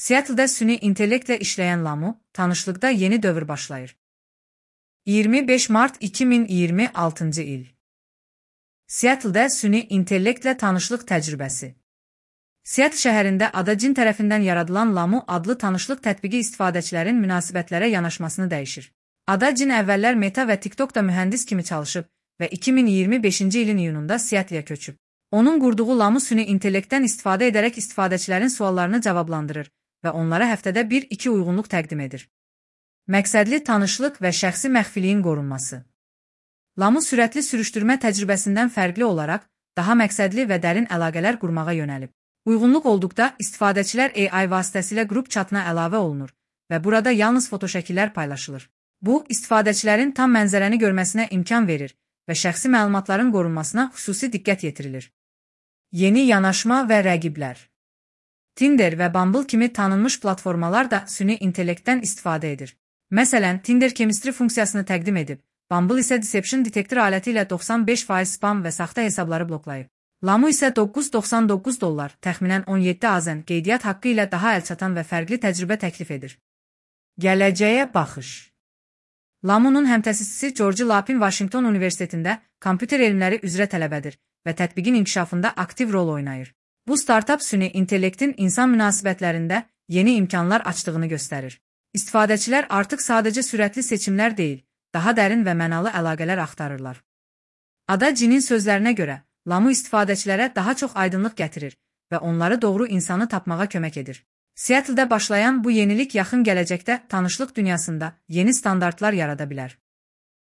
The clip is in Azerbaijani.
Seattle'da süni intellektlə işləyən Lamu, tanışlıqda yeni dövr başlayır. 25 Mart 2026 il. Seattle'da süni intellektlə tanışlıq təcrübəsi. Seattle şəhərində Ada-Cin tərəfindən yaradılan Lamu adlı tanışlıq tətbiqi istifadəçilərin münasibətlərə yanaşmasını dəyişir. Ada-Cin əvvəllər Meta və TikTokda mühəndis kimi çalışıb və 2025-ci ilin iyununda Seattle'a köçüb. Onun qurduğu Lamu süni intellektdən istifadə edərək istifadəçilərin suallarını cavablandırır və onlara həftədə 1-2 uyğunluq təqdim edir. Məqsədli tanışlıq və şəxsi məxfiliyin qorunması. Lamu sürətli sürüşdürmə təcrübəsindən fərqli olaraq daha məqsədli və dərin əlaqələr qurmağa yönəlib. Uyğunluq olduqda istifadəçilər AI vasitəsilə qrup chatına əlavə olunur və burada yalnız fotoşəkillər paylaşılır. Bu, istifadəçilərin tam mənzərəni görməsinə imkan verir və şəxsi məlumatların qorunmasına xüsusi diqqət yetirilir. Yeni yanaşma və rəqiblər. Tinder və Bumble kimi tanınmış platformalar da süni intellektdən istifadə edir. Məsələn, Tinder Chemistry funksiyasını təqdim edib, Bumble isə Deception detektor aləti ilə 95% spam və saxta hesabları bloklayıb. Lamu isə $9.99, təxminən 17 AZN qeydiyyat haqqı ilə daha əlçatan və fərqli təcrübə təklif edir. Gələcəyə baxış. Lamunun həmtəsisçisi George Lapin Washington Universitetində kompüter elmləri üzrə tələbədir və tətbiqin inkişafında aktiv rol oynayır. Bu startap süni intellektin insan münasibətlərində yeni imkanlar açdığını göstərir. İstifadəçilər artıq sadəcə sürətli seçimlər deyil, daha dərin və mənalı əlaqələr axtarırlar. Ada-Cin'in sözlərinə görə, Lamu istifadəçilərə daha çox aydınlıq gətirir və onları doğru insanı tapmağa kömək edir. Seattle'da başlayan bu yenilik yaxın gələcəkdə tanışlıq dünyasında yeni standartlar yarada bilər.